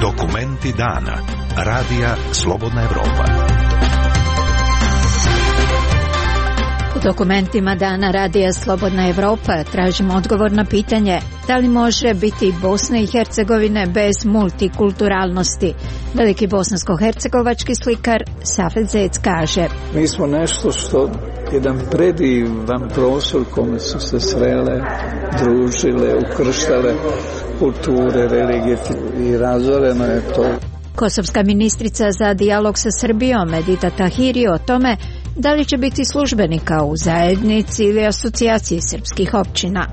Dokumenti dana. Radija Slobodna Evropa. U dokumentima dana Radija Slobodna Evropa tražimo odgovor na pitanje da li može biti Bosne i Hercegovine bez multikulturalnosti. Veliki bosansko-hercegovački slikar Safet Zec kaže: Mi smo nešto što jedan predivan prostor kome su se srele, družile, ukrštale kulture, religije i razoreno je to. Kosovska ministrica za dijalog sa Srbijom Edita Tahiri o tome da li će biti službenika u zajednici ili asocijaciji srpskih općina.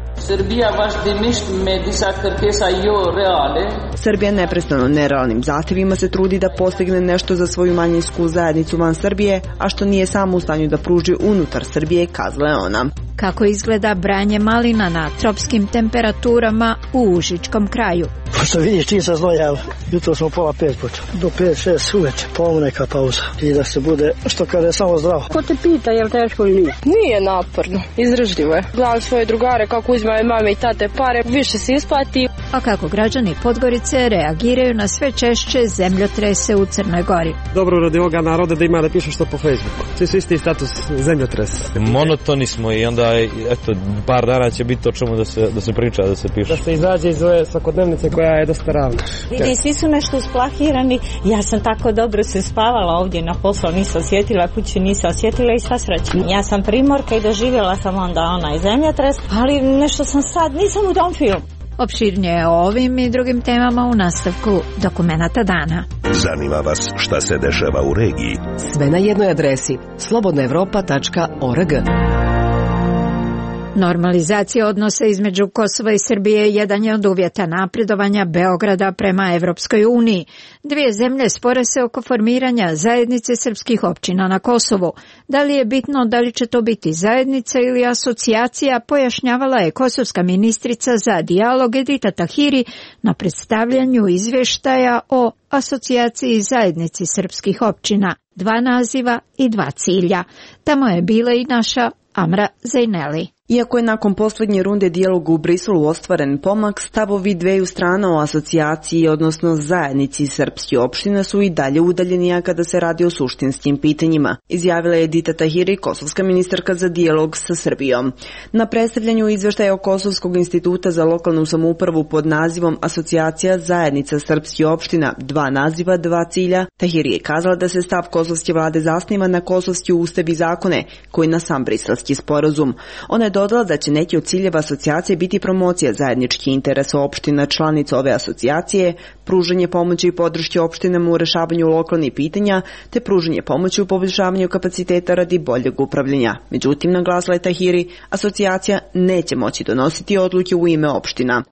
Srbija neprestano nerealnim zahtjevima se trudi da postigne nešto za svoju manjinsku zajednicu van Srbije, a što nije samo u stanju da pruži unutar Srbije, kazala je ona. Kako izgleda branje malina na tropskim temperaturama u Užičkom kraju? Što vidiš, čim sam znojao, jutro smo 4:30 počeo. Do 5-6 uveče, neka pauza. I da se bude, što kaže, samo zdravo. Ko te pita, je li teško ili nije? Nije naporno, izdržljivo je. Gledam svoje drugare kako uzimaju mame i tate pare, više se isplati. A kako građani Podgorice reagiraju na sve češće zemljotrese u Crnoj Gori? Dobro radi ovoga naroda da ima da pišu što po Facebooku. Svi su isti status zemljotres. Monotoni smo i onda eto, par dana će biti o čemu da se priča, da se piše. Da se izađe iz ove svakodnevnice koja je dosta ravna. Vidi, svi su nešto usplahirani. Ja sam tako dobro se spavala ovdje na poslu, nisam osjetila, kući nisam osjetila i sva sreća. Ja sam primorka i doživjela sam onda onaj zemljotres, ali nešto sam sad, nisam u tom filmu. Opširnije o ovim i drugim temama u nastavku dokumenata dana. Zanima vas šta se dešava u regiji? Sve na jednoj adresi slobodnaevropa.org. Normalizacija odnosa između Kosova i Srbije jedan je od uvjeta napredovanja Beograda prema Evropskoj uniji. Dvije zemlje spore se oko formiranja zajednice srpskih općina na Kosovu. Da li je bitno da li će to biti zajednica ili asocijacija, pojašnjavala je kosovska ministrica za dijalog Edita Tahiri na predstavljanju izvještaja o asocijaciji zajednici srpskih općina. 2 naziva i 2 cilja. Tamo je bila i naša Amra Zajneli. Iako je nakon posljednje runde dijaloga u Briselu ostvaren pomak, stavovi dveju strana o asocijaciji, odnosno zajednici srpskih opština, su i dalje udaljeni kada se radi o suštinskim pitanjima, izjavila je Edita Tahiri, kosovska ministarka za dijalog sa Srbijom. Na predstavljanju izveštaja o Kosovskog instituta za lokalnu samoupravu pod nazivom Asocijacija zajednica srpskih opština, 2 naziva, 2 cilja, Tahiri je kazala da se stav kosovske vlade zasniva na kosovski ustav i zakone, koji na sam briselski sporazum. Ona je dodala da će neki od ciljeva asocijacije biti promocija zajedničkih interesa opština članica ove asocijacije, pružanje pomoći i podrške opštinama u rešavanju lokalnih pitanja, te pružanje pomoći u poboljšavanju kapaciteta radi boljeg upravljanja. Međutim, naglasila je Tahiri, asocijacija neće moći donositi odluke u ime opština.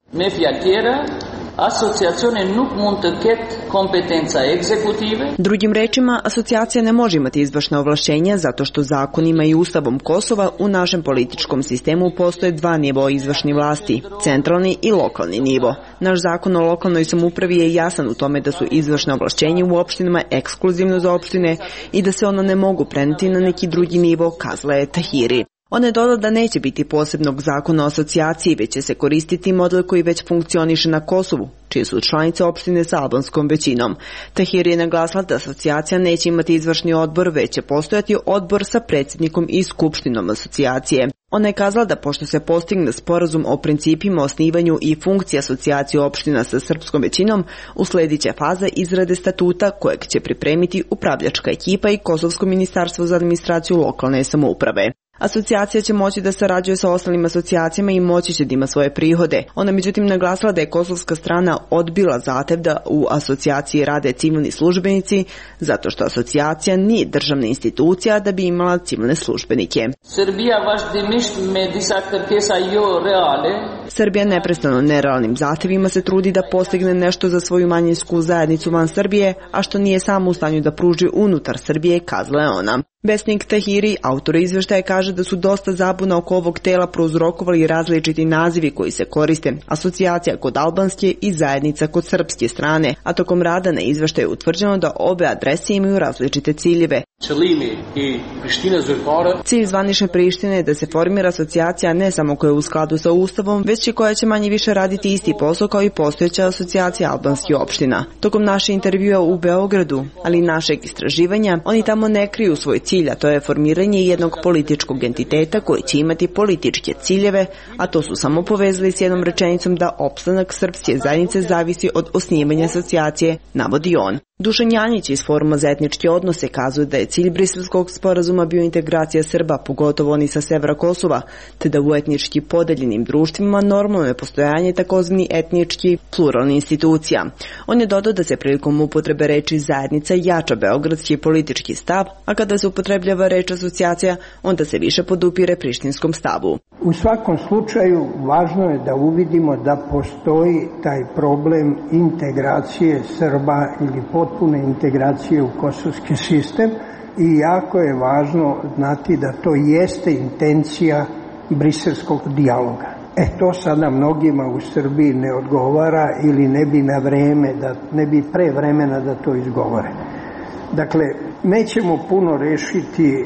Drugim rečima, asocijacija ne može imati izvršna ovlašćenja zato što zakonima i ustavom Kosova u našem političkom sistemu postoje 2 nivoa izvršne vlasti, centralni i lokalni nivo. Naš zakon o lokalnoj samoupravi je jasan u tome da su izvršne ovlašćenja u opštinama ekskluzivno za opštine i da se ono ne mogu prenijeti na neki drugi nivo, kazala je Tahiri. Ona je dodala da neće biti posebnog zakona o asocijaciji, već će se koristiti model koji već funkcioniše na Kosovu, čije su članice opštine sa albanskom većinom. Tahiri je naglasila da asocijacija neće imati izvršni odbor, već će postojati odbor sa predsjednikom i skupštinom asocijacije. Ona je kazala da pošto se postigne sporazum o principima, osnivanju i funkciji asocijacije opština sa srpskom većinom, usledit će faza izrade statuta kojeg će pripremiti upravljačka ekipa i Kosovsko ministarstvo za administraciju lokalne samouprave. Asocijacija će moći da sarađuje sa ostalim asocijacijama i moći će da ima svoje prihode. Ona međutim naglasila da je kosovska strana odbila zahtev da u asocijaciji rade civilni službenici, zato što asocijacija nije državna institucija da bi imala civilne službenike. Srbija neprestano nerealnim zahtjevima se trudi da postigne nešto za svoju manjinsku zajednicu van Srbije, a što nije samo u stanju da pruži unutar Srbije, kazala je ona. Vesnik Tahiri, autor izveštaja, kaže da su dosta zabuna oko ovog tela prouzrokovali različiti nazivi koji se koriste, asocijacija kod albanske i zajednica kod srpske strane, a tokom rada na izveštaju je utvrđeno da obe adrese imaju različite ciljeve. Cilj zvanične Prištine je da se formira asocijacija ne samo koja je u skladu sa Ustavom, već i koja će manje više raditi isti posao kao i postojeća asocijacija albanskih opština. Tokom naše intervjua u Beogradu, ali i našeg istraživanja, oni tamo ne kriju svoj cilj, a to je formiranje jednog političkog entiteta koji će imati političke ciljeve, a to su samo povezali s jednom rečenicom da opstanak srpske zajednice zavisi od osnivanja asocijacije, navodi on. Dušan Janjić iz Foruma za etničke odnose kazuje da je cilj Briselskog sporazuma bio integracija Srba, pogotovo oni sa severa Kosova, te da u etnički podeljenim društvima normalno je postojanje takozvani etnički pluralni institucija. On je dodao da se prilikom upotrebe reči zajednica jača beogradski politički stav, a kada se upotrebljava reč asocijacija, onda se više podupire prištinskom stavu. U svakom slučaju važno je da uvidimo da postoji taj problem integracije Srba ili potpune integracije u kosovski sistem i jako je važno znati da to jeste intencija briselskog dijaloga. To sada mnogima u Srbiji ne odgovara ili ne bi na vreme, ne bi pre vremena da to izgovore. Dakle, nećemo puno rešiti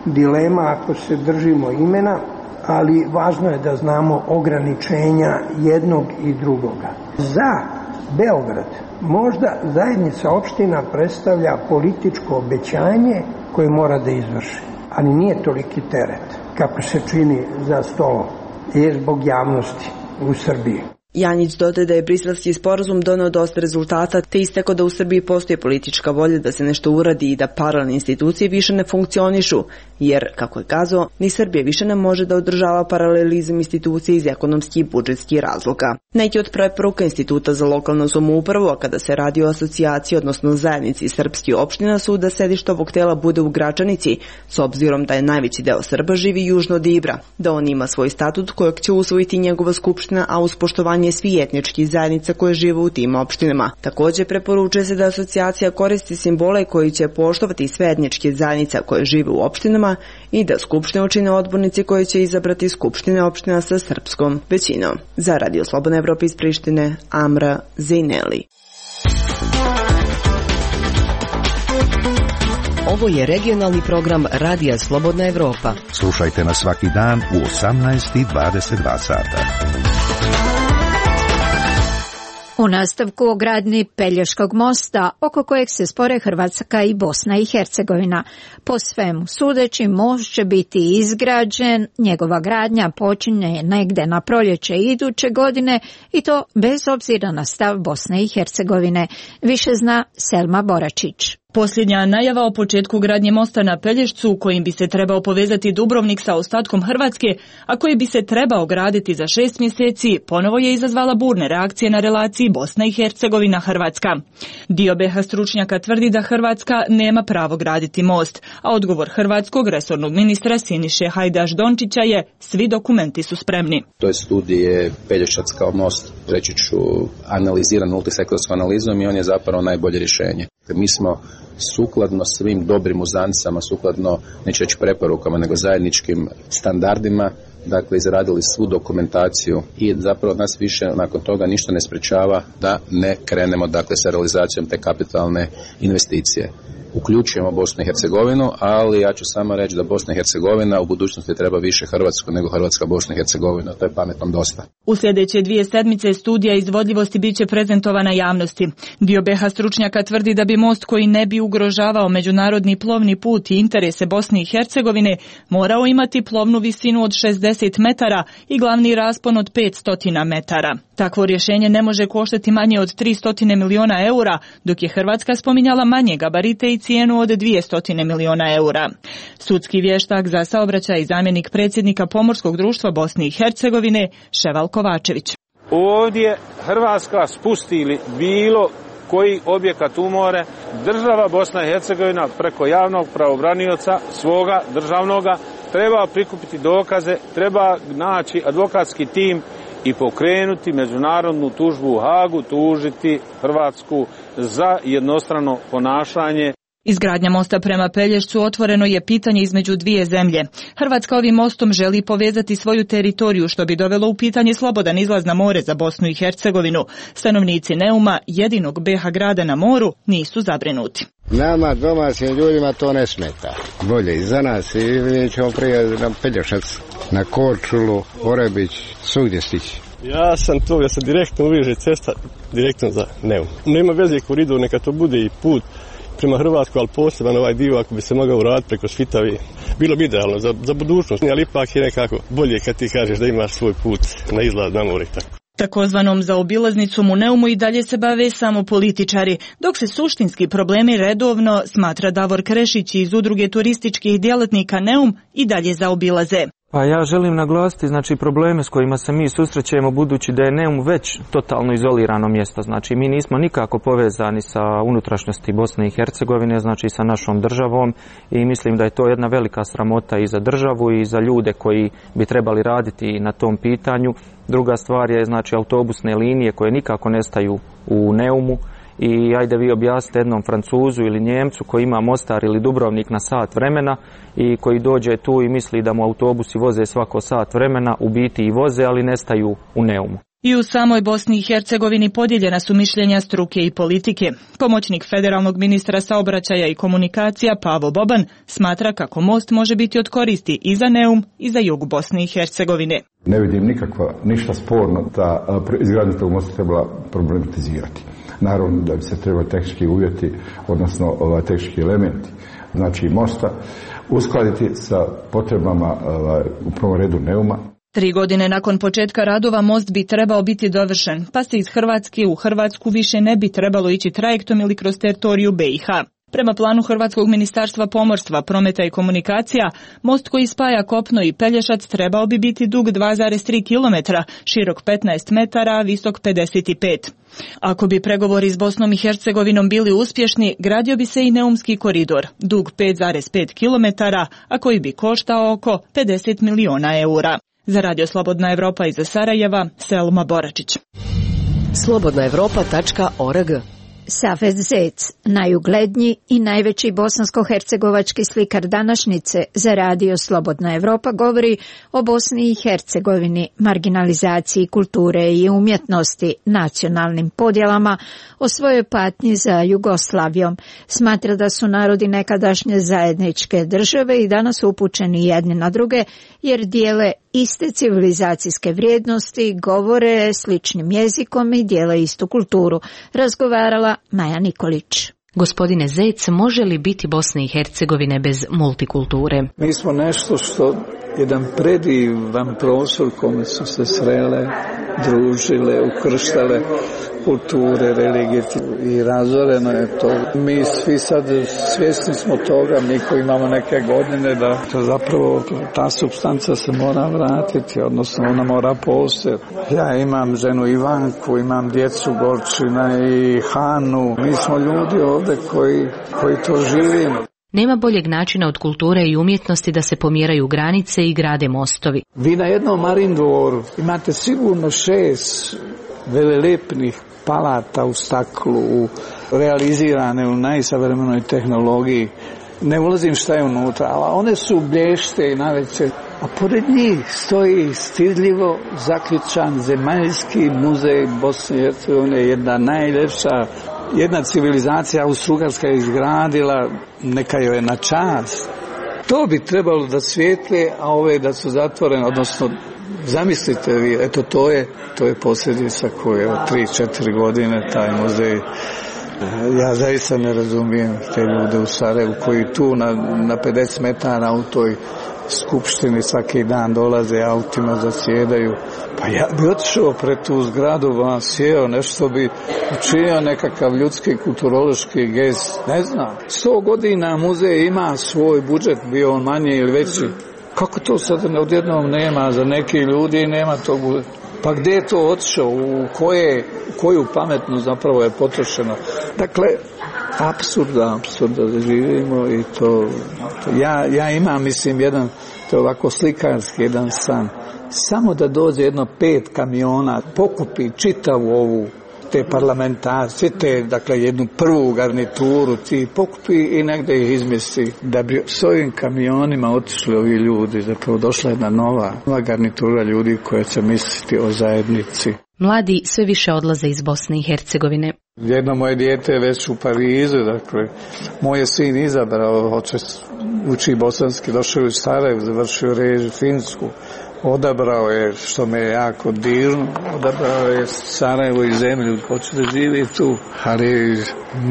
dilema ako se držimo imena, ali važno je da znamo ograničenja jednog i drugoga. Za Beograd možda zajednica opština predstavlja političko obećanje koje mora da izvrši, ali nije toliki teret kako se čini za stolom, je zbog javnosti u Srbiji. Janjić dodaje da je Briselski sporazum doneo dosta rezultata, te istakao da u Srbiji postoji politička volja da se nešto uradi i da paralelne institucije više ne funkcionišu, jer, kako je kazao, ni Srbija više ne može da održava paralelizam institucije iz ekonomskih i budžetskih razloga. Neki od preporuka Instituta za lokalnu samoupravu, a kada se radi o asocijaciji, odnosno zajednici srpskih opština, su da sedište ovog tela bude u Gračanici, s obzirom da je najveći deo Srba živi južno od Ibra, da on ima svoj statut kojeg će usvojiti njegova skupština, a uz poštovanje svih etničkih zajednica koje žive u tim opštinama. Također preporučuje se da asocijacija koristi simbole koji će poštovati sve etničke zajednice koje žive u opštinama i da skupštine čine odbornici koji će izabrati skupštine opština sa srpskom većinom. Za Radio Slobodna Evropa iz Prištine, Amra Zejneli. Ovo je regionalni program Radija Slobodna Evropa. Slušajte nas svaki dan u 18:22 sata. U nastavku o gradnji Pelješkog mosta, oko kojeg se spore Hrvatska i Bosna i Hercegovina. Po svemu sudeći, most će biti izgrađen, njegova gradnja počinje negde na proljeće iduće godine i to bez obzira na stav Bosne i Hercegovine. Više zna Selma Boračić. Posljednja najava o početku gradnje mosta na Pelješcu, kojim bi se trebao povezati Dubrovnik sa ostatkom Hrvatske, a koji bi se trebao graditi za 6 mjeseci, ponovo je izazvala burne reakcije na relaciji Bosna i Hercegovina-Hrvatska. Dio BiH stručnjaka tvrdi da Hrvatska nema pravo graditi most, a odgovor hrvatskog resornog ministra Siniše Hajdaš-Dončića je: svi dokumenti su spremni. To je studije Pelješac kao most, reći ću, analiziran multisektorskom analizom i on je zapravo najbolje rješenje. Mi smo sukladno svim dobrim uzancama, sukladno neću reći preporukama, nego zajedničkim standardima, dakle izradili svu dokumentaciju i zapravo nas više nakon toga ništa ne sprečava da ne krenemo dakle sa realizacijom te kapitalne investicije. Uključujemo Bosnu i Hercegovinu, ali ja ću samo reći da Bosna i Hercegovina u budućnosti treba više Hrvatsku nego Hrvatska Bosna i Hercegovina. To je pametnom dosta. U sljedeće 2 sedmice studija izvodljivosti biće prezentovana javnosti. Dio BiH stručnjaka tvrdi da bi most koji ne bi ugrožavao međunarodni plovni put i interese Bosne i Hercegovine morao imati plovnu visinu od 60 metara i glavni raspon od 500 metara. Takvo rješenje ne može koštati manje od 300 miliona eura, dok je Hrvatska spominjala manje gabarite i cijenu od 200 miliona eura. Sudski vještak za saobraćaj i zamjenik predsjednika Pomorskog društva Bosne i Hercegovine Ševal Kovačević. Ovdje Hrvatska spusti ili bilo koji objekat u more, država Bosna i Hercegovina preko javnog pravobranioca svoga državnoga treba prikupiti dokaze, treba naći advokatski tim i pokrenuti međunarodnu tužbu u Hagu, tužiti Hrvatsku za jednostrano ponašanje. Izgradnja mosta prema Pelješcu otvoreno je pitanje između dvije zemlje. Hrvatska ovim mostom želi povezati svoju teritoriju, što bi dovelo u pitanje slobodan izlaz na more za Bosnu i Hercegovinu. Stanovnici Neuma, jedinog BiH grada na moru, nisu zabrinuti. Nama domaćim ljudima to ne smeta. Bolje i za nas i mi ćemo prije na Pelješac, na Korčulu, Orebić, svugdje stići. Ja sam to da se direktno uveže cesta direktno za Neum. Nema veze koridor, neka to bude i put prema Hrvatskoj, ali poseban ovaj dio ako bi se mogao uraditi preko Svitavi, bilo bi idealno za budućnost, ali ipak je nekako bolje kad ti kažeš da imaš svoj put na izlaz na more. Takozvanom zaobilaznicom u Neumu i dalje se bave samo političari, dok se suštinski problemi redovno, smatra Davor Krešić iz udruge turističkih djelatnika Neum, i dalje zaobilaze. Pa ja želim naglasiti probleme s kojima se mi susrećemo, budući da je Neum već totalno izolirano mjesto. Znači mi nismo nikako povezani sa unutrašnjosti Bosne i Hercegovine, znači sa našom državom, i mislim da je to jedna velika sramota i za državu i za ljude koji bi trebali raditi na tom pitanju. Druga stvar je autobusne linije koje nikako nestaju u Neumu. I ajde vi objasnite jednom Francuzu ili Njemcu koji ima Mostar ili Dubrovnik na sat vremena i koji dođe tu i misli da mu autobusi voze svako sat vremena, u biti i voze, ali nestaju u Neumu. I u samoj Bosni i Hercegovini podijeljena su mišljenja struke i politike. Pomoćnik federalnog ministra saobraćaja i komunikacija Pavo Boban smatra kako most može biti od koristi i za Neum i za jug Bosne i Hercegovine. Ne vidim ništa sporno da izgradnju tog mosta trebala problematizirati. Naravno da bi se trebali tehnički uvjeti, odnosno tehnički elementi, znači mosta, uskladiti sa potrebama u prvom redu Neuma. 3 godine nakon početka radova most bi trebao biti dovršen, pa se iz Hrvatske u Hrvatsku više ne bi trebalo ići trajektom ili kroz teritoriju BiH. Prema planu Hrvatskog ministarstva pomorstva, prometa i komunikacija, most koji spaja Kopno i Pelješac trebao bi biti dug 2,3 km, širok 15 metara, visok 55. Ako bi pregovori s Bosnom i Hercegovinom bili uspješni, gradio bi se i Neumski koridor, dug 5,5 km, a koji bi koštao oko 50 miliona eura. Za Radio Slobodna Evropa iz Sarajeva, Selma Boračić. slobodnaevropa.org. Safet Zec, najugledniji i najveći bosansko-hercegovački slikar današnjice, za Radio Slobodna Evropa govori o Bosni i Hercegovini, marginalizaciji kulture i umjetnosti, nacionalnim podjelama, o svojoj patnji za Jugoslavijom. Smatra da su narodi nekadašnje zajedničke države i danas upućeni jedni na druge, jer dijele iste civilizacijske vrijednosti, govore sličnim jezikom i dijele istu kulturu. Razgovarala Maja Nikolić. Gospodine Zec, može li biti Bosne i Hercegovine bez multikulture? Mi smo nešto što jedan predivan prostor kome su se srele, družile, ukrštale kulture, religije i razoreno je to. Mi svi sad svjesni smo toga, mi koji imamo neke godine, da zapravo ta supstanca se mora vratiti, odnosno ona mora postojati. Ja imam ženu Ivanku, imam djecu Gorčina i Hanu. Mi smo ljudi ovdje koji to živimo. Nema boljeg načina od kulture i umjetnosti da se pomjeraju granice i grade mostovi. Vi na jednom Marindvoru imate sigurno 6 velelepnih palata u staklu, realizirane u najsavremenoj tehnologiji. Ne ulazim šta je unutra, ali one su blješte i najveće. A pored njih stoji stidljivo zaključan Zemaljski muzej Bosne i Hercegovine, jedna najljepša. Jedna civilizacija Austro-Ugarska je izgradila, neka joj je na čast. To bi trebalo da svijetle, a ove da su zatvorene, odnosno zamislite vi, eto to je posljedica koje od 3-4 godine taj muzej. Ja zaista ne razumijem te ljude u Sarajevu koji tu na 50 metara u toj skupštini svaki dan dolaze autima, zasjedaju. Pa ja bi otišao pred tu zgradu, sjeo, nešto bi učinio nekakav ljudski kulturološki gest, ne znam. 100 godina muzej ima svoj budžet, bio on manji ili veći. Kako to sad odjednom nema za neki ljudi, nema tog budžeta? Pa gdje je to otišao, u koju pametnu zapravo je potrošeno? Dakle, apsurda da živimo i to ja imam, mislim, jedan, to je ovako slikarski jedan san. Samo da dođe jedno 5 kamiona, pokupi čitavu ovu te parlamentarce, te, dakle, jednu prvu garnituru ti pokupi i negde ih izmjesti. Da bi s ovim kamionima otišli ovi ljudi, zapravo došla jedna nova garnitura ljudi koja će misliti o zajednici. Mladi sve više odlaze iz Bosne i Hercegovine. Jedno moje dijete je već u Parizu, dakle, moj je sin izabrao, uči bosanski, došao u Sarajevo, završio režiju finsku, odabrao je, što me je jako dirno, odabrao je Sarajevo i zemlju, hoće da živi tu, ali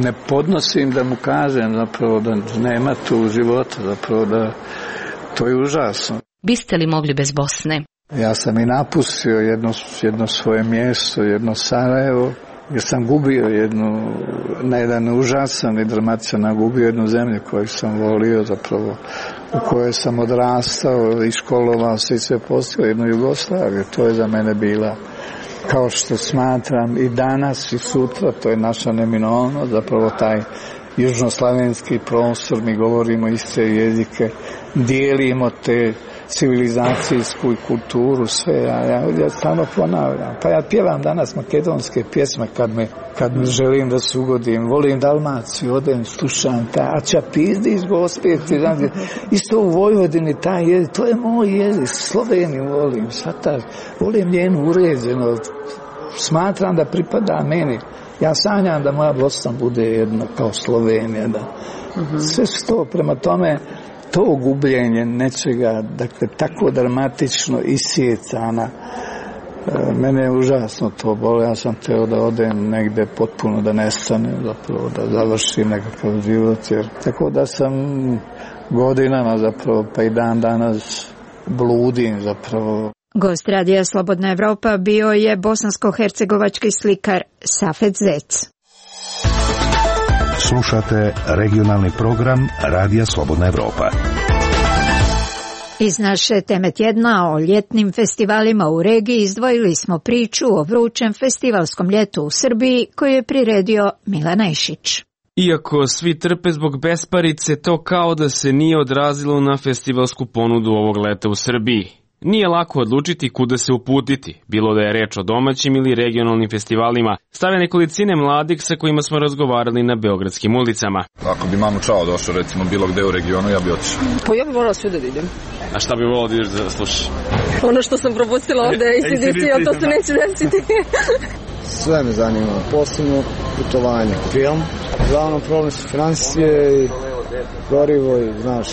ne podnosim da mu kažem zapravo da nema tu života, zapravo da to je užasno. Biste li mogli bez Bosne? Ja sam i napustio jedno svoje mjesto, jedno Sarajevo, jer sam gubio na jedan užasan i dramatičan, gubio jednu zemlju koju sam volio zapravo, u kojoj sam odrastao i školovao se i sve postigao, jednu Jugoslaviju. To je za mene bila, kao što smatram i danas i sutra, to je naša neminovnost, zapravo taj južnoslavenski prostor, mi govorimo iste jezike, dijelimo te civilizacijsku i kulturu, sve, ja stvarno ponavljam. Pa ja pjevam danas makedonske pjesme kad mi želim da se ugodim, volim Dalmaciju, odem, slušam a Čapizdi iz Gospeti, isto u Vojvodini taj jezik, to je moj jezik, Sloveniju volim, volim njenu uređeno, smatram da pripada meni. Ja sanjam da moja Bosna bude jedna kao Slovenija, da. Sve što prema tome, to gubljenje nečega, dakle, tako dramatično isjecana, mene je užasno to bolo. Ja sam teo da odem negde potpuno, da nestanem, zapravo, da završim nekakav život, tako da sam godinama zapravo, pa i dan danas bludim zapravo. Gost Radija Slobodna Evropa bio je bosansko-hercegovački slikar Safet Zec. Slušate regionalni program Radija Slobodna Evropa. Iz naše teme tjedna o ljetnim festivalima u regiji izdvojili smo priču o vrućem festivalskom ljetu u Srbiji koju je priredio Milan Ajšić. Iako svi trpe zbog besparice, to kao da se nije odrazilo na festivalsku ponudu ovog leta u Srbiji. Nije lako odlučiti kuda se uputiti, bilo da je reč o domaćim ili regionalnim festivalima, stave nekolicine mladih sa kojima smo razgovarali na beogradskim ulicama. Ako bi Manu Čao došao recimo bilo gde u regionu, ja bi otišao. Pa ja bi volao svuda da idem. A šta bi volao da ideš da slušaš? Ono što sam propustila ovde, ACDC, to se neće desiti. Sve me zanima, posebno putovanje, film. Glavno problem su financije i gorivo i, znaš,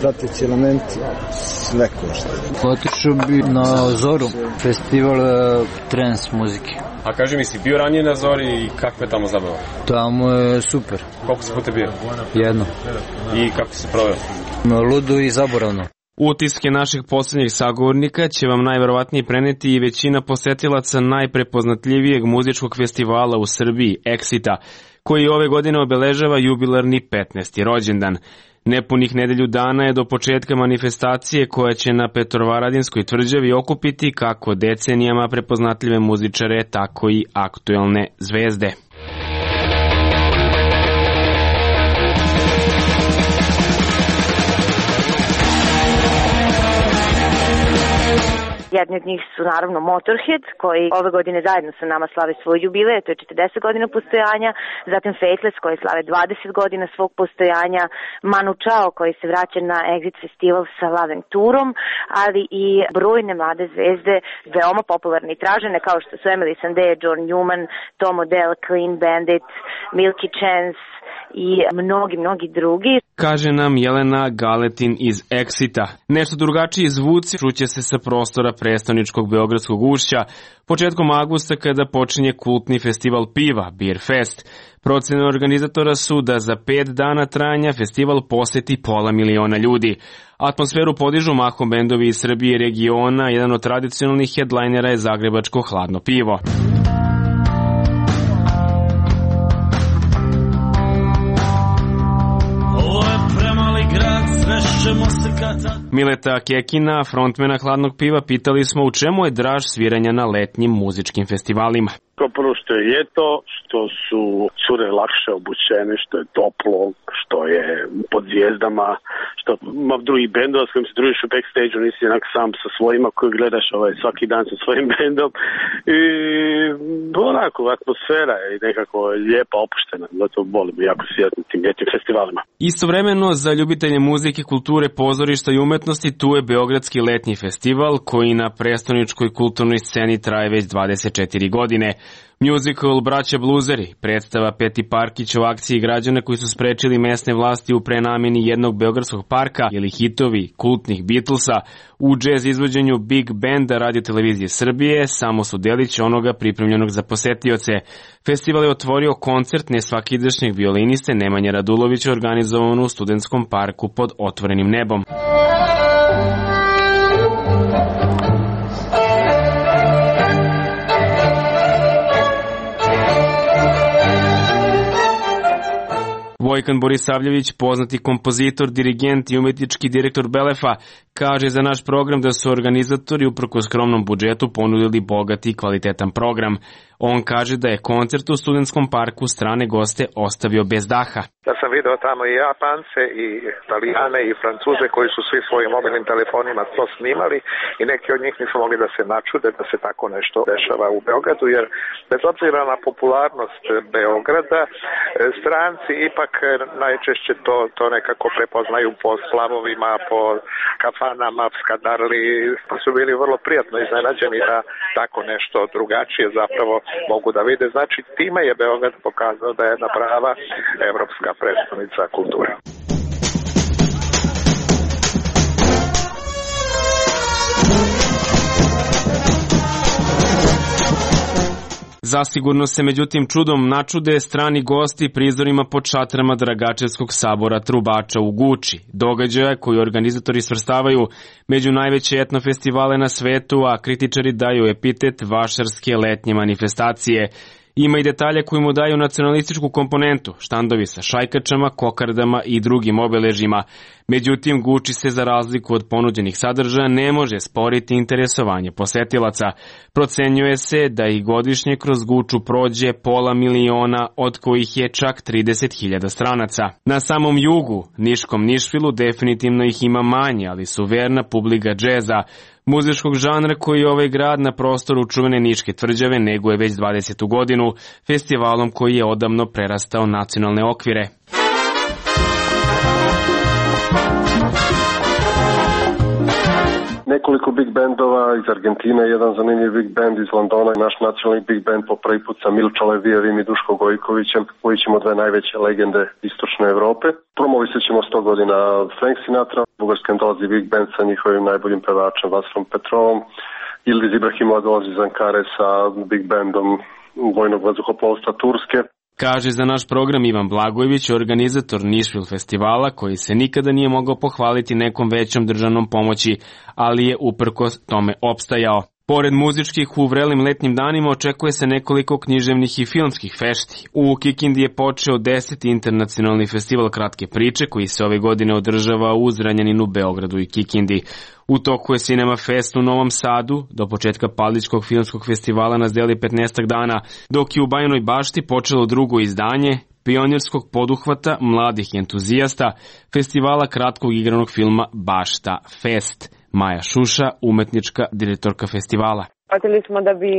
prateći elementi, sve košta. Otišao bi na Zoru, festival trans muzike. A kaži mi, si bio ranije na Zori i kakva je tamo zabava? Tamo je super. Koliko si puta bio? Jedno. I kako si proveo? Ludo i zaboravno. Utiske naših posljednjih sagovornika će vam najverovatnije preneti i većina posetilaca najprepoznatljivijeg muzičkog festivala u Srbiji, Exita, koji ove godine obeležava jubilarni 15. rođendan. Nepunih nedelju dana je do početka manifestacije koja će na Petrovaradinskoj tvrđavi okupiti kako decenijama prepoznatljive muzičare, tako i aktuelne zvezde. Jedni od njih su naravno Motorhead, koji ove godine zajedno sa nama slave svoj jubilej, to je 40 godina postojanja, zatim Faithless koji slave 20 godina svog postojanja, Manu Chao koji se vraća na Exit festival sa Laventurom, ali i brojne mlade zvezde, veoma popularne i tražene kao što su Emily Sandé, John Newman, Tom Odell, Clean Bandit, Milky Chance i mnogi drugi. Kaže nam Jelena Galetin iz Exita. Nešto drugačiji zvuci čuće se sa prostora prestoničkog Beogradskog ušća početkom avgusta kada počinje kultni festival piva, Beer Fest. Procene organizatora su da za 5 dana trajanja festival poseti 500.000 ljudi. Atmosferu podižu mahom bendovi iz Srbije i regiona, jedan od tradicionalnih headlinera je zagrebačko hladno pivo. Mileta Kekina, frontmena hladnog piva, pitali smo u čemu je draž sviranja na letnjim muzičkim festivalima. Kao prvo što je ljeto, što su cure lakše obučene, što je toplo, što je pod zvijezdama, što ima drugih bendova s kojim se družiš u backstage-u, nisi jednak sam sa svojima koji gledaš svaki dan sa svojim bendom. I onako, atmosfera je nekako lijepa, opuštena, zato volim jako sjetiti tim ljetnim festivalima. Istovremeno, za ljubitelje muzike, kulture, pozorišta i umetnosti, tu je Beogradski letnji festival, koji na prestoničkoj kulturnoj sceni traje već 24 godine. Musical Braća Bluzeri, predstava Peti Parkić o akciji građana koji su sprečili mesne vlasti u prenameni jednog beogradskog parka ili hitovi kultnih Beatlesa u džez izvođenju Big Banda Radio-televizije Srbije, samo su delić onoga pripremljenog za posetioce. Festival je otvorio koncert nesvakidašnjeg violiniste Nemanje Radulovića organizovan u Studentskom parku pod otvorenim nebom. Vojkan Borisavljević, poznati kompozitor, dirigent i umetnički direktor Belefa, kaže za naš program da su organizatori uprkos skromnom budžetu ponudili bogat i kvalitetan program. On kaže da je koncert u Studentskom parku strane goste ostavio bez daha. Ja sam video tamo i Japance, i Italijane, i Francuze koji su svi svojim mobilnim telefonima to snimali i neki od njih nisu mogli da se načude da se tako nešto dešava u Beogradu, jer bez obzira na popularnost Beograda, stranci ipak najčešće to nekako prepoznaju po slavovima, po kafanama, skadarli, pa su bili vrlo prijatno iznenađeni da tako nešto drugačije zapravo mogu da vide. Znači, time je Beograd pokazao da je jedna prava evropska prestonica kulture. Zasigurno se međutim čudom načude strani gosti prizorima pod šatrama Dragačevskog sabora Trubača u Guči, događaja koji organizatori svrstavaju među najveće etnofestivale na svetu, a kritičari daju epitet vašarske letnje manifestacije. Ima i detalje koji mu daju nacionalističku komponentu, štandovi sa šajkačama, kokardama i drugim obeležjima. Međutim, Guči se za razliku od ponuđenih sadržaja ne može sporiti interesovanje posetilaca. Procenjuje se da ih godišnje kroz Guču prođe 500.000, od kojih je čak 30.000 stranaca. Na samom jugu, Niškom Nišvilu, definitivno ih ima manje, ali su verna publika džeza, muzičkog žanra koji ovaj grad na prostoru čuvene Niške tvrđave neguje već 20. godinu, festivalom koji je odavno prerastao nacionalne okvire. Nekoliko big bandova iz Argentine, jedan zanimljiv big band iz Londona, naš nacionalni big band po prvi put sa Milča Levijevim i Duško Gojkovićem, koji ćemo dve najveće legende istočne Evrope. Promovisat ćemo 100 godina Frank Sinatra, Bugarskan dolazi big band sa njihovim najboljim pevačem Vasrom Petrovom, Ildiz Ibrahimova dolazi iz Ankare sa big bandom vojnog vazduhoplovstva Turske. Kaže za naš program Ivan Blagojević, organizator Nišvil festivala, koji se nikada nije mogao pohvaliti nekom većom državnom pomoći, ali je uprkos tome opstajao. Pored muzičkih u vrelim letnjim danima očekuje se nekoliko književnih i filmskih fešti. U Kikindi je počeo 10. internacionalni festival kratke priče koji se ove godine održava u Zranjaninu, Beogradu i Kikindi. U toku je Cinema Fest u Novom Sadu, do početka Paličkog filmskog festivala nas deli 15 dana, dok je u Bajinoj Bašti počelo drugo izdanje pionirskog poduhvata mladih entuzijasta festivala kratkog igranog filma Bašta Fest. Maja Šuša, umetnička direktorka festivala. Shvatili smo da bi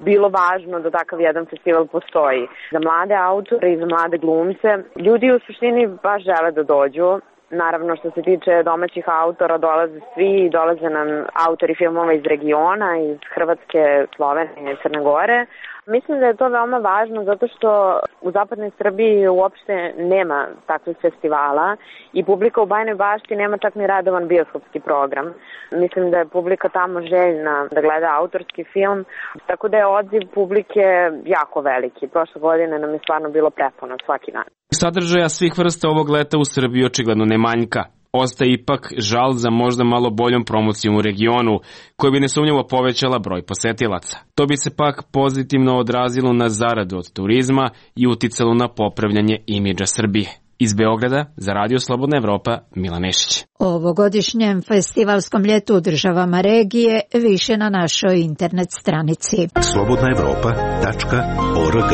bilo važno da takav jedan festival postoji. Za mlade autore i za mlade glumce. Ljudi u suštini baš žele da dođu. Naravno, što se tiče domaćih autora, dolaze svi, dolaze nam autori filmova iz regiona, iz Hrvatske, Slovenije i Crne Gore. Mislim da je to veoma važno zato što u zapadnoj Srbiji uopšte nema takvih festivala i publika u Bajinoj Bašti nema čak ni redovan bioskopski program. Mislim da je publika tamo željna da gleda autorski film, tako da je odziv publike jako veliki. Prošle godine nam je stvarno bilo prepuno svaki dan. Sadržaja svih vrsta ovog leta u Srbiji očigledno ne manjka. Ostaje ipak žal za možda malo boljom promocijom u regionu, koja bi nesumnjivo povećala broj posetilaca. To bi se pak pozitivno odrazilo na zaradu od turizma i uticalo na popravljanje imidža Srbije. Iz Beograda, za Radio Slobodna Evropa, Milan Nešić. O ovogodišnjem festivalskom ljetu u državama regije više na našoj internet stranici. slobodnaevropa.org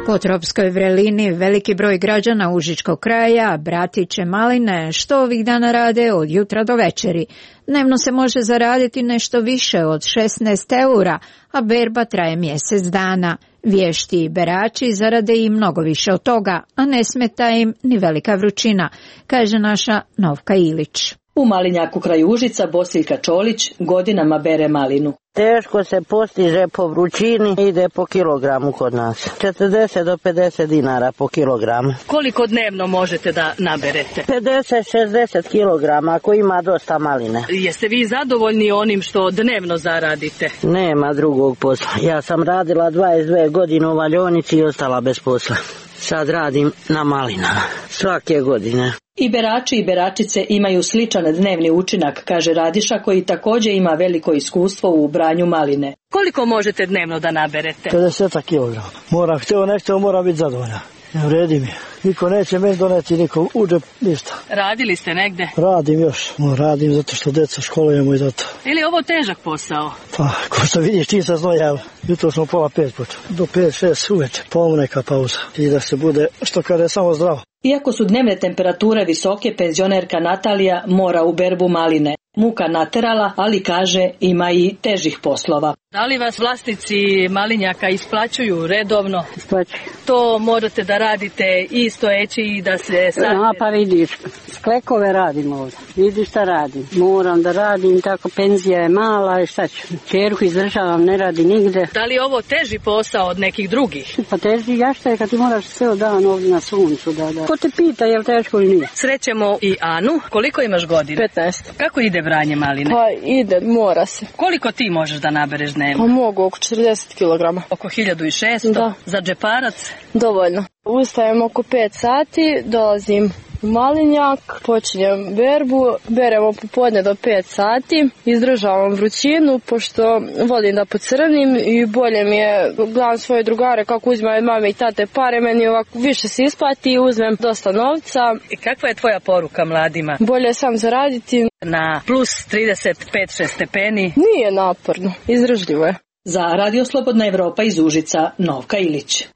Po tropskoj vrelini veliki broj građana Užičkog kraja brati će maline što ovih dana rade od jutra do večeri. Dnevno se može zaraditi nešto više od 16 eura, a berba traje mjesec dana. Vješti berači zarade i mnogo više od toga, a ne smeta im ni velika vrućina, kaže naša Novka Ilić. U Malinjaku kraj Užica Bosiljka Čolić godinama bere malinu. Teško se postiže po vrućini, ide po kilogramu kod nas. 40 do 50 dinara po kilogramu. Koliko dnevno možete da naberete? 50-60 kilograma ako ima dosta maline. Jeste vi zadovoljni onim što dnevno zaradite? Nema drugog posla. Ja sam radila 22 godine u valjonici i ostala bez posla. Sad radim na malinama. Svake godine. I berači i beračice imaju sličan dnevni učinak, kaže Radiša koji također ima veliko iskustvo u branju maline. Koliko možete dnevno da naberete? 50 kilograma. Moram, htio nešto, mora biti zadovoljna. Ne vredi mi. Niko neće meni doneti, niko uđe, ništa. Radili ste negde? Radim još. Radim zato što djeca školujemo i zato. Ili ovo težak posao? Pa, ko što vidiš, čim sam znojao. Jutro smo 4:30 počeo. Do 5-6 uveče. Pomu neka pauza. I da se bude, što kada je samo zdravo. Iako su dnevne temperature visoke, penzionerka Natalija mora u berbu maline. Muka naterala, ali kaže ima i težih poslova. Da li vas vlasnici malinjaka isplaćuju redovno? Isplaćuju. To morate da radite i stojeći i da se sad... No, pa vidiš, sklekove radim ovdje. Vidiš šta radim. Moram da radim, tako penzija je mala i šta ću. Čerku izdržavam, ne radi nigde. Da li je ovo teži posao od nekih drugih? Pa teži jašta je kad ti moraš ceo dan ovdje na suncu. Da. Ko te pita je li teško ili nije? Srećemo i Anu. Koliko imaš godina? 15. Kako ide branje maline? Pa ide, mora se. Koliko ti možeš da nabereš dnevno? Pa mogu oko 40 kg. Oko 1600? Da. Za džeparac? Dovoljno. Ustajem oko 5 sati, dolazim u Malinjak, počinjem berbu, beremo popodne do 5 sati, izdržavam vrućinu, pošto volim da pocrnim i bolje mi je, gledam svoje drugare kako uzimaju mame i tate pare, meni ovako više se isplati, uzmem dosta novca. I kakva je tvoja poruka mladima? Bolje sam zaraditi. Na plus 35-6 stepeni? Nije naporno, izdržljivo je. Za Radio Slobodna Evropa iz Užica, Novka Ilić.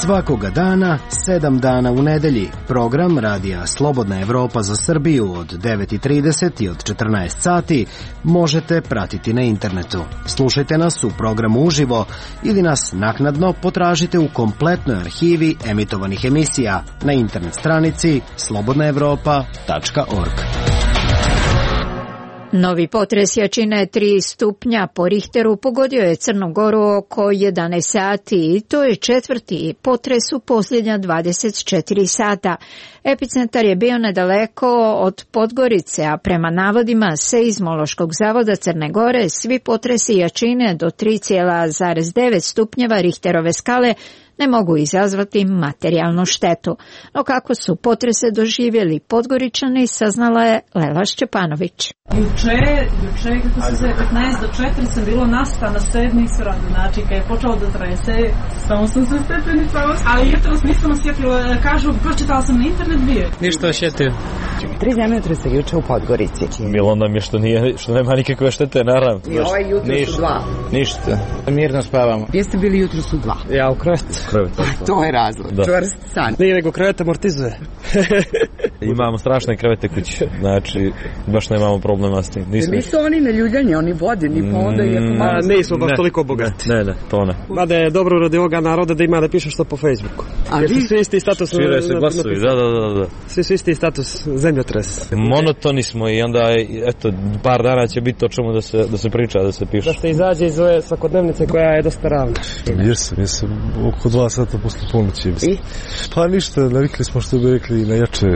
Svakoga dana, 7 dana u nedelji, program Radija Slobodna Evropa za Srbiju od 9:30 i od 14 sati možete pratiti na internetu. Slušajte nas u programu uživo ili nas naknadno potražite u kompletnoj arhivi emitovanih emisija na internet stranici slobodnaevropa.org. Novi potres jačine 3 stupnja po Richteru pogodio je Crnu Goru oko 11 sati i to je 4. potres u posljednja 24 sata. Epicentar je bio nedaleko od Podgorice, a prema navodima Seizmološkog zavoda Crne Gore svi potresi jačine do 3,9 stupnjeva Richterove skale ne mogu izazvati materijalnu štetu. No kako su potrese doživjeli Podgoričani, saznala je Lela Šćepanović. Juče, kako se zove, 15 do 4 sam bilo nasta na 7. sradu, znači kad je počelo da trese, samo sam se stepenica, ali jutros nisam osjetila, kažu, pročitala sam na internet bio. Ništa osjetio. 3 zemljotresa juče u Podgorici. Bilo nam je što nema nikakve štete, naravno. I ovaj jutro su 2. Ništa. Mirno spavamo. Jeste bili jutro su 2? Ja u krevetu. To je razlog, čvrst san. Nije nego krevet amortizuje. Imamo strašne krevete kuće, znači baš nemamo problema s tim. Nisu oni na ljuljanje, oni vodeni, pa onda je malo... Nismo baš toliko bogati. Ne, to ne. Mada je dobro radi ovoga naroda da ima da piše što po Facebooku. Jer su svi isti status... Šire se glasovi, da. Svi su isti status zemljotres. Monotoni smo i onda, eto, par dana će biti o čemu da se priča, da se piše. Da se izađe iz ove svakodnevnice koja je dosta ravna. Jesam oko 2 sata posle ponoći. Pa ništa, navikli smo što bi rekli na jače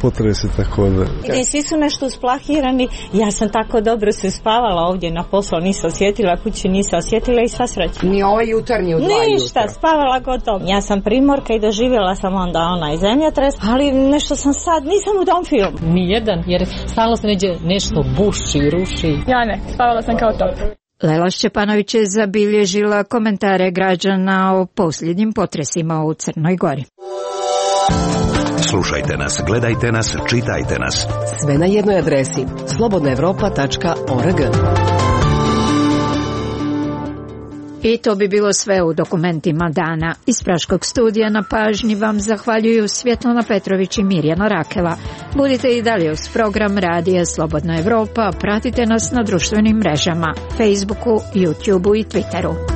potrese, tako da... Svi su nešto usplahirani, ja sam tako dobro se spavala ovdje na poslu, nisam osjetila, kući nisam osjetila i sva sreća. Ni ovaj jutarnji u 2 ništa, jutra. Spavala gotovo. Ja sam primorka i doživjela sam onda onaj zemljotres, ali nešto sam sad, nisam u tom filmu. Nijedan, jer stalno se nešto buši, ruši. Ja ne, spavala sam kao top. Lela Šćepanović je zabilježila komentare građana o posljednjim potresima u Crnoj Gori. Slušajte nas, gledajte nas, čitajte nas. Sve na jednoj adresi slobodnaevropa.org. I to bi bilo sve u dokumentima dana. Iz Praškog studija na pažnji vam zahvaljuju Svjetlana Petrović i Mirjana Rakela. Budite i dalje uz program Radija Slobodna Evropa, pratite nas na društvenim mrežama, Facebooku, YouTubeu i Twitteru.